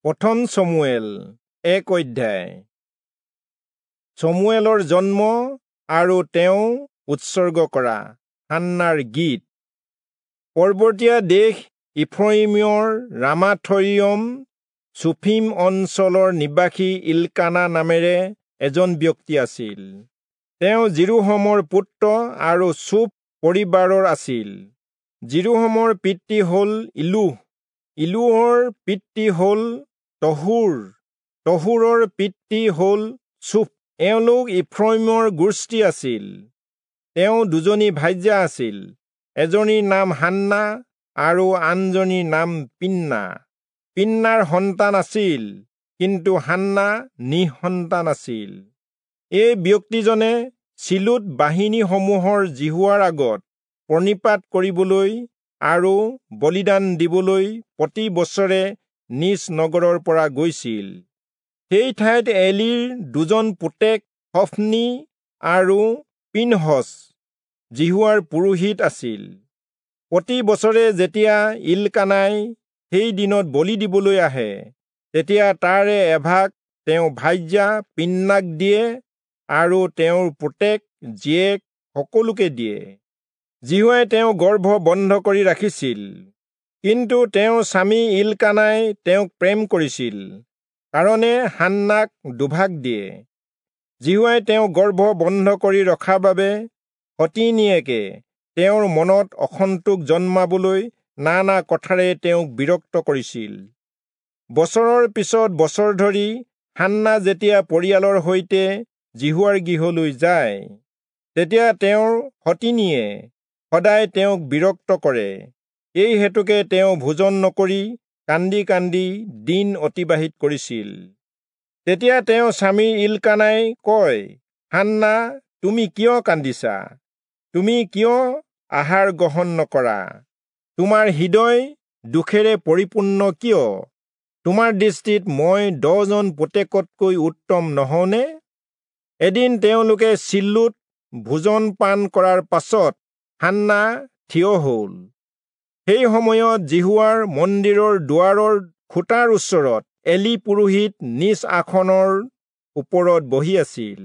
প্ৰথম চমুৱেল 1 অধ্যায়। চমুৱেলৰ জন্ম আৰু তেওঁ উৎসৰ্গ কৰা হান্নাৰ গীত। পৰ্বতীয়া দেশ ইফ্ৰয়িমৰ ৰামাথয়িম চুফিম অঞ্চলৰ নিবাসী ইলকানা নামেৰে এজন ব্যক্তি আছিল। তেওঁ যিৰোহমৰ পুত্ৰ আৰু চূফ পৰিবাৰৰ আছিল। যিৰোহমৰ পিতৃ হ'ল ইলূহ, ইলূহৰ পিতৃ হ'ল তহূৰ, তহূৰৰ পিতৃ হ'ল চূফ। এওঁলোক ইফ্ৰয়িমৰ গোষ্ঠী আছিল। তেওঁ দুজনী ভাৰ্যা আছিল, এজনীৰ নাম হান্না আৰু আনজনীৰ নাম পিন্না। পিন্নাৰ সন্তান আছিল, কিন্তু হান্না নিঃসন্তান আছিল। এই ব্যক্তিজনে চিলোত বাহিনীসমূহৰ যিহোৱাৰ আগত প্ৰণিপাত কৰিবলৈ আৰু বলিদান দিবলৈ প্ৰতি বছৰে নিজ নগৰৰ পৰা গৈছিল। সেই ঠাইত এলিৰ দুজন পুতেক হফনি আৰু পিনহচ যিহোৱাৰ পুৰোহিত আছিল। প্ৰতি বছৰে যেতিয়া ইলকানাই সেই দিনত বলি দিবলৈ আহে, তেতিয়া তাৰে এভাগ তেওঁ ভাৰ্যা পিন্নাক দিয়ে আৰু তেওঁৰ পুতেক জীয়েক সকলোকে দিয়ে। যিহোৱাই তেওঁ গৰ্ভ বন্ধ কৰি ৰাখিছিল, কিন্তু তেওঁৰ স্বামী ইলকানাই তেওঁক প্ৰেম কৰিছিল কাৰণে হান্নাক দুভাগ দিয়ে। যিহোৱাই তেওঁ গৰ্ভ বন্ধ কৰি ৰখাৰ বাবে সতিনীয়েকে তেওঁৰ মনত অসন্তোষ জন্মাবলৈ নানা কথাৰে তেওঁক বিৰক্ত কৰিছিল। বছৰৰ পিছত বছৰ ধৰি হান্না যেতিয়া পৰিয়ালৰ সৈতে যিহোৱাৰ গৃহলৈ যায়, তেতিয়া তেওঁৰ সতিনীয়ে সদায় তেওঁক বিৰক্ত কৰে। এই হেতুকে তেওঁ ভোজন নকৰি কান্দি কান্দি দিন অতিবাহিত কৰিছিল। তেতিয়া তেওঁ স্বামী ইলকানাই কয়, হান্না, তুমি কিয় কান্দিছা? তুমি কিয় আহাৰ গ্ৰহণ নকৰা? তোমাৰ হৃদয় দুখেৰে পৰিপূৰ্ণ কিয়? তোমাৰ দৃষ্টিত মই 10জন পুতেকতকৈ উত্তম নহওঁনে? এদিন তেওঁলোকে চিলোত ভোজন পান কৰাৰ পাছত হান্না থিয় হ'ল। সেই সময়ত যিহোৱাৰ মন্দিৰৰ দুৱাৰৰ খুঁটাৰ ওচৰত এলি পুৰোহিত নিজ আসনৰ ওপৰত বহি আছিল।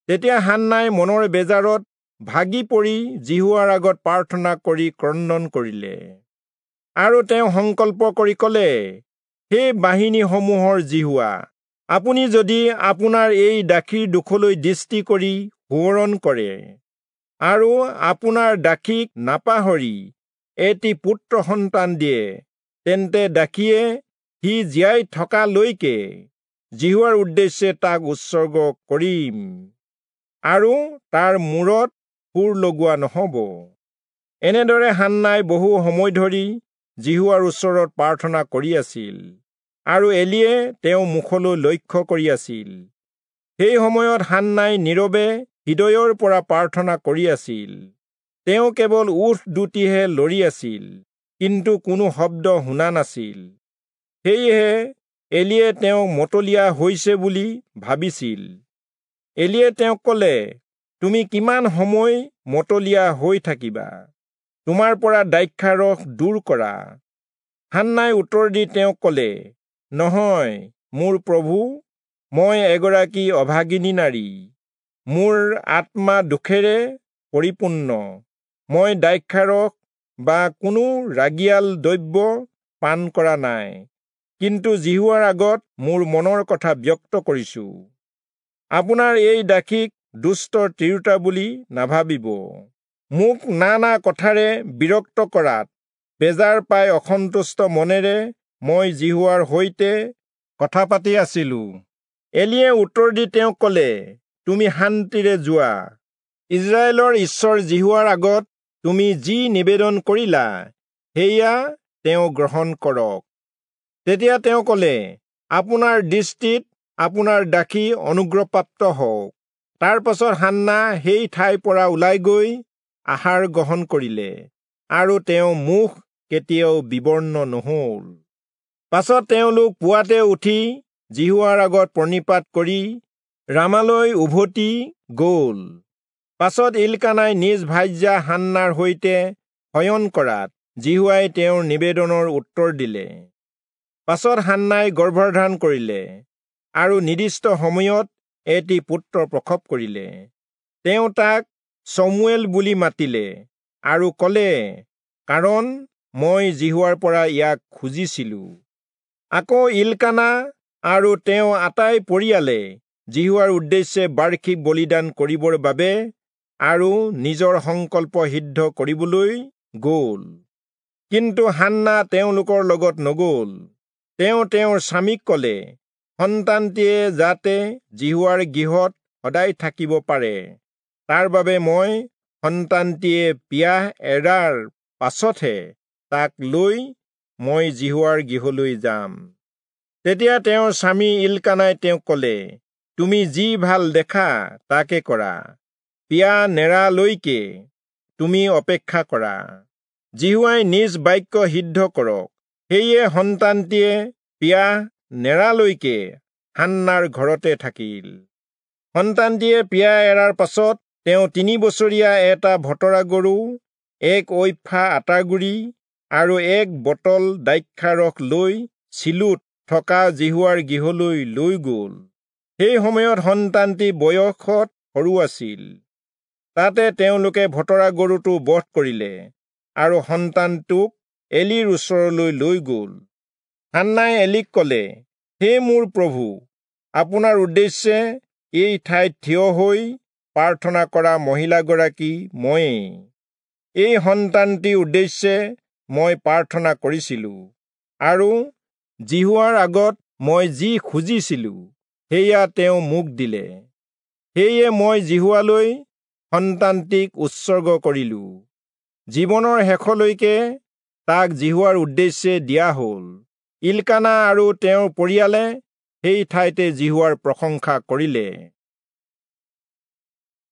তেতিয়া হান্নাই মনৰ বেজাৰত ভাগি পৰি যিহোৱাৰ আগত প্ৰাৰ্থনা কৰি ক্ৰন্দন কৰিলে আৰু তেওঁ সংকল্প কৰি ক'লে, হে বাহিনীসমূহৰ যিহোৱা, আপুনি যদি আপোনাৰ এই দাসীৰ দুখলৈ দৃষ্টি কৰি সোঁৱৰণ কৰে আৰু আপোনাৰ দাসীক নাপাহৰি এটি পুত্ৰ সন্তান দিয়ে, তেন্তে দাসীয়ে সি জীয়াই থকালৈকে যিহোৱাৰ উদ্দেশ্যে তাক উৎসৰ্গ কৰিম আৰু তাৰ মূৰত সুৰ লগোৱা নহ'ব। এনেদৰে হান্নাই বহু সময় ধৰি যিহোৱাৰ ওচৰত প্ৰাৰ্থনা কৰি আছিল আৰু এলিয়ে তেওঁ মুখলৈ লক্ষ্য কৰি আছিল। সেই সময়ত হান্নাই নীৰৱে হৃদয়ৰ পৰা প্ৰাৰ্থনা কৰি আছিল। তেওঁ কেৱল ওঁঠ দুটিহে লৰি আছিল, কিন্তু কোনো শব্দ শুনা নাছিল। সেয়েহে এলিয়ে তেওঁক মতলীয়া হৈছে বুলি ভাবিছিল। এলিয়ে তেওঁক ক'লে, তুমি কিমান সময় মতলীয়া হৈ থাকিবা? তোমাৰ পৰা দ্ৰাক্ষাৰস দূৰ কৰা। হান্নাই উত্তৰ দি তেওঁক ক'লে, নহয় মোৰ প্ৰভু, মই এগৰাকী অভাগিনী নাৰী, মোৰ আত্মা দুখেৰে পৰিপূৰ্ণ। মই দ্ৰাক্ষাৰস বা কোনো ৰাগিয়াল দ্ৰব্য পান কৰা নাই, কিন্তু যিহোৱাৰ আগত মোৰ মনৰ কথা ব্যক্ত কৰিছো। আপোনাৰ এই দাসীক দুষ্ট তিৰোতা বুলি নাভাবিব। মোক নানা কথাৰে বিৰক্ত কৰাত বেজাৰ পাই অসন্তুষ্ট মনেৰে মই যিহোৱাৰ সৈতে কথা পাতি আছিলো। এলিয়ে উত্তৰ দি তেওঁক ক'লে, তুমি শান্তিৰে যোৱা। ইস্ৰায়েলৰ ঈশ্বৰ যিহোৱাৰ আগত তুমি যি নিবেদন কৰিলা, সেয়া তেওঁ গ্ৰহণ কৰক। তেতিয়া তেওঁ ক'লে, আপোনাৰ দৃষ্টিত আপোনাৰ দাসী অনুগ্ৰহপ্ৰাপ্ত হওক। তাৰ পাছত হান্না সেই ঠাইৰ পৰা ওলাই গৈ আহাৰ গ্ৰহণ কৰিলে আৰু তেওঁ মুখ কেতিয়াও বিবৰ্ণ নহ'ল। পাছত তেওঁলোক পুৱাতে উঠি যিহোৱাৰ আগত প্ৰণিপাত কৰি ৰামালৈ উভতি গ'ল। পাছত ইলকানাই নিজ ভাৰ্যা হান্নাৰ সৈতে শয়ন কৰাত যিহোৱাই তেওঁৰ নিবেদনৰ উত্তৰ দিলে। পাছত হান্নাই গৰ্ভধাৰণ কৰিলে আৰু নিৰ্দিষ্ট সময়ত এটি পুত্ৰ প্ৰসৱ কৰিলে। তেওঁ তাক চমুৱেল বুলি মাতিলে আৰু ক'লে, কাৰণ মই যিহোৱাৰ পৰা ইয়াক খুজিছিলো। আকৌ ইলকানা আৰু তেওঁ আটাই পৰিয়ালে যিহোৱাৰ উদ্দেশ্যে বাৰ্ষিক বলিদান কৰিবৰ বাবে আৰু নিজৰ সংকল্প সিদ্ধ কৰিবলৈ গ'ল। কিন্তু হান্না তেওঁলোকৰ লগত নগ'ল। তেওঁ তেওঁৰ স্বামীক ক'লে, সন্তানটিয়ে যাতে যিহোৱাৰ গৃহত সদায় থাকিব পাৰে, তাৰ বাবে মই সন্তানটিয়ে পিয়াহ এৰাৰ পাছতহে তাক লৈ মই যিহোৱাৰ গৃহলৈ যাম। তেতিয়া তেওঁৰ স্বামী ইলকানাই তেওঁক ক'লে, তুমি যি ভাল দেখা তাকে কৰা, পিয়াহ নেৰালৈকে তুমি অপেক্ষা কৰা। যিহোৱাই নিজ বাক্য সিদ্ধ কৰক। সেয়ে সন্তানটিয়ে পিয়াহ নেৰালৈকে হান্নাৰ ঘৰতে থাকিল। সন্তানটিয়ে পিয়াহ এৰাৰ পাছত তেওঁ 3 বছৰীয়া এটা ভতৰা গৰু, 1 ঐফা আটাগুড়ি আৰু 1 বটল দ্ৰাক্ষাৰস লৈ চিলোত থকা যিহোৱাৰ গৃহলৈ লৈ গ'ল। সেই সময়ত সন্তানটি বয়সত সৰু আছিল। তাতে তেওঁলোকে ভতৰা গৰুটো বধ কৰিলে আৰু সন্তানটোক এলিৰ ওচৰলৈ লৈ গ'ল। হান্নাই এলিক ক'লে, হে মোৰ প্ৰভু, আপোনাৰ উদ্দেশ্যে এই ঠাইত থিয় হৈ প্ৰাৰ্থনা কৰা মহিলাগৰাকী ময়েই। এই সন্তানটিৰ উদ্দেশ্যে মই প্ৰাৰ্থনা কৰিছিলো আৰু যিহোৱাৰ আগত মই যি খুজিছিলো সেয়া তেওঁ মোক দিলে। সেয়ে মই যিহোৱালৈ সন্তানটিক উৎসৰ্গ কৰিলো। জীৱনৰ শেষলৈকে তাক যিহোৱাৰ উদ্দেশ্যে দিয়া হ'ল। ইলকানা আৰু তেওঁৰ পৰিয়ালে সেই ঠাইতে যিহোৱাৰ প্ৰশংসা কৰিলে।